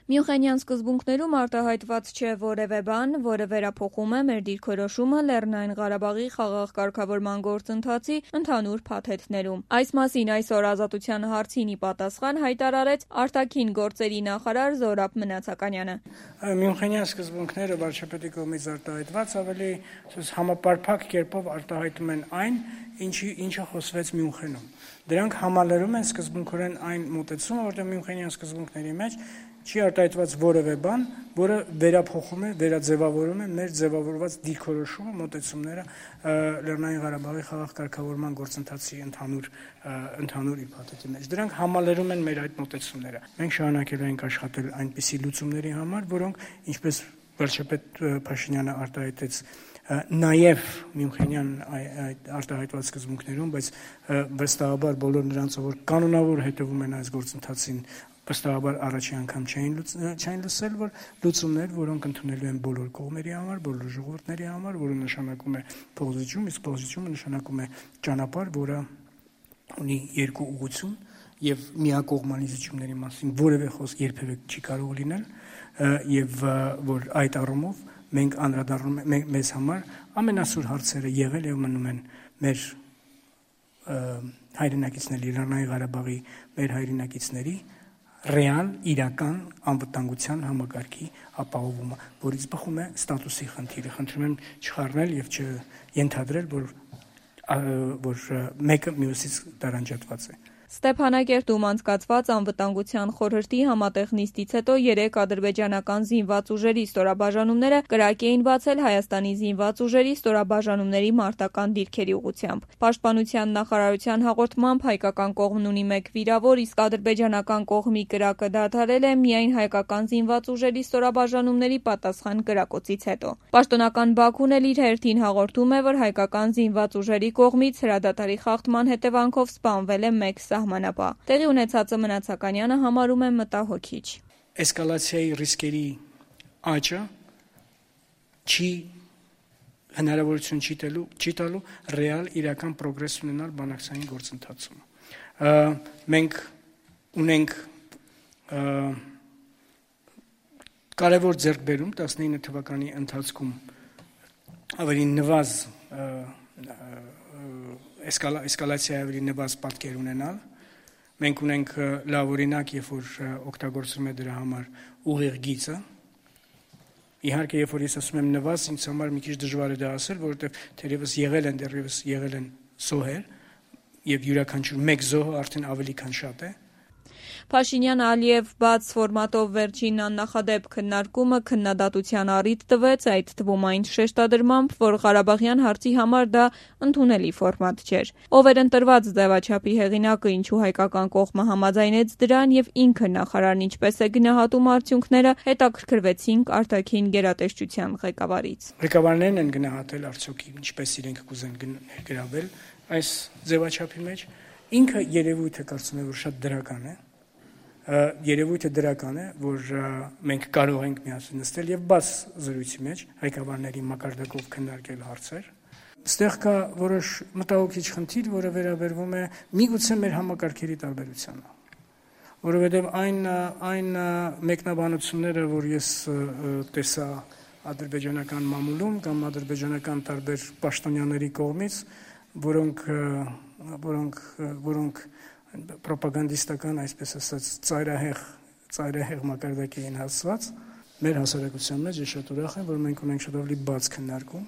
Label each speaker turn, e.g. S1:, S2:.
S1: Մյունխենյան սկզբունքներում արտահայտված չէ որևէ բան, որը վերափոխում է մեր դիրքորոշումը Լեռնային Ղարաբաղի խաղաղ կարգավորման գործընթացի ընդհանուր փաթեթներում։ Այս մասին այսօր Ազատության հարցին ի պատասխան հայտարարեց արտաքին գործերի նախարար Զորաբ Մնացականյանը։
S2: Մյունխենյան սկզբունքները վարչապետի կողմից արտահայտված ավելի համապարփակ կերպով արտահայտում են այն, ինչը խոսվեց Մյունխենում։ Դրանք համալրում են սկզբունքորեն այն մոտեցումը, որտեղ Մյունխենյան սկզբունքների մեջ չի արտահայտված որևէ բան, որը վերափոխում է, վերաձևավորում է մեր ձևավորված դիրքորոշումը, մոտեցումները Լեռնային Ղարաբաղի խաղաղ կարգավորման գործընթացի ընդհանուր իբաթեթի մեջ։ Դրանք համալրում են մեր այդ մոտեցումները։ Մենք շարունակելու ենք աշխատել այնպիսի լուծումների համար, որոնք, ինչպես վարչապետ Փաշինյանը արտահայտեց նաև Մյունխենյան արտահայտված սկզբունքներում, բայց վստահաբար բոլոր նրանցով, որ կանոնավոր հետևում են այս գործընթացին, վստահաբար առաջի անգամ չեն լսել, որ լուծումներ, որոնք ընդունելու են բոլոր կողմերի համար, բոլոր ժողովուրդների համար, որը նշանակում է փոխզիջում, իսկ փոխզիջումը նշանակում է ճանապարհ, որը ունի երկու ուղղություն եւ միակողմանի զիջումների մասին որևէ խոսք երբևէ չի կարող լինել, եւ որ այդ առումով մենք անդրադառնում ենք մեզ համար ամենասուր հարցերը եղել եւ մնում են մեր հայրենակիցների Լեռնային Ղարաբաղի մեր հայրենակիցների ռեալ իրական անվտանգության համակարգի ապահովումը, որից բխում է ստատուսի խնդիրը։ Խնդրում եմ չխառնել եւ չենթադրել, որ մեկը մյուսից տարանջատված է։
S1: Ստեփանակերտում անցկացված անվտանգության խորհրդի համատեղ նիստից հետո 3 ադրբեջանական զինված ուժերի ստորաբաժանումները կրակ էին բացել Հայաստանի զինված ուժերի ստորաբաժանումների մարտական դիրքերի ուղղությամբ։ Պաշտպանության նախարարության հաղորդմամբ հայկական կողմն ունի 1 վիրավոր, իսկ ադրբեջանական կողմի կրակը դադարել է միայն հայկական զինված ուժերի ստորաբաժանումների պատասխան կրակոցից հետո։ Պաշտոնական Բաքուն էլ իր հերթին հաղորդում է, որ հայկական զինված ուժերի կողմից հրադադարի խախտման հետևանքով սպանվել է 1 սահմանապահ։ Տեղի ունեցածը Մնացականյանը համարում է մտահոգիչ։
S2: Էսկալացիայի ռիսկերի աճը հնարավորություն չի տալու ռեալ իրական պրոգրես ունենալ բանակցային գործընթացում։ Մենք ունենք կարևոր ձեռքբերում 19 թվականի ընթացքում ավելի նվազ էսկալացիայի ավելի նվազ պատկեր ունենալ։ Մենք ունենք լավ օրինակ, երբ որ օգտագործվում է դրա համար ուղիղ գիծը։ Իհարկե, երբ որ ես ասում եմ նվազ, ինձ համար մի քիչ դժվար է դա ասել, որովհետև դեռևս եղել են զոհեր, եւ յուրաքանչյուր մեկ զոհը արդեն ավելի քան շատ է։
S1: Փաշինյան-Ալիև բաց ֆորմատով վերջին աննախադեպ քննարկումը քննադատության առիթ տվեց, այդ թվում այն շեշտադրմամբ, որ Ղարաբաղյան հարցի համար դա ընդունելի ֆորմատ չէր։ Ով էր ընտրված ձևաչափի հեղինակը, ինչու հայկական կողմը համաձայնեց դրան եւ ինքը նախարարն ինչպես է գնահատում արդյունքները, հետաքրքրվեցինք արտաքին գերատեսչության ղեկավարից։
S2: Ղեկավարներն են գնահատել արդյոք ինչպես իրենք կուզեն գրավել այս ձևաչափի մեջ։ Ինքը երևույթը կարծում եմ, որ շատ դրական է։ Երևույթը դրական է, որ մենք կարող ենք միասին նստել եւ բաց զրույցի մեջ հայկավարների մակարդակով քննարկել հարցեր։ Ստեղ կա որոշ մտահոգիչ խնդիր, որը վերաբերվում է միգուցե մեր համակարգերի տարբերությանը, որովհետեւ այն մեկնաբանությունները, որ ես տեսա ադրբեջանական մամուլում կամ ադրբեջանական տարբեր պաշտոնյաների կողմից, որոնք պրոպագանդիստական, այսպես ասած, ծայրահեղ մակարդակի են հասցված, մեր հասարակության մեջ ես շատ ուրախ եմ, որ մենք ունենք շատ ավելի բաց քննարկում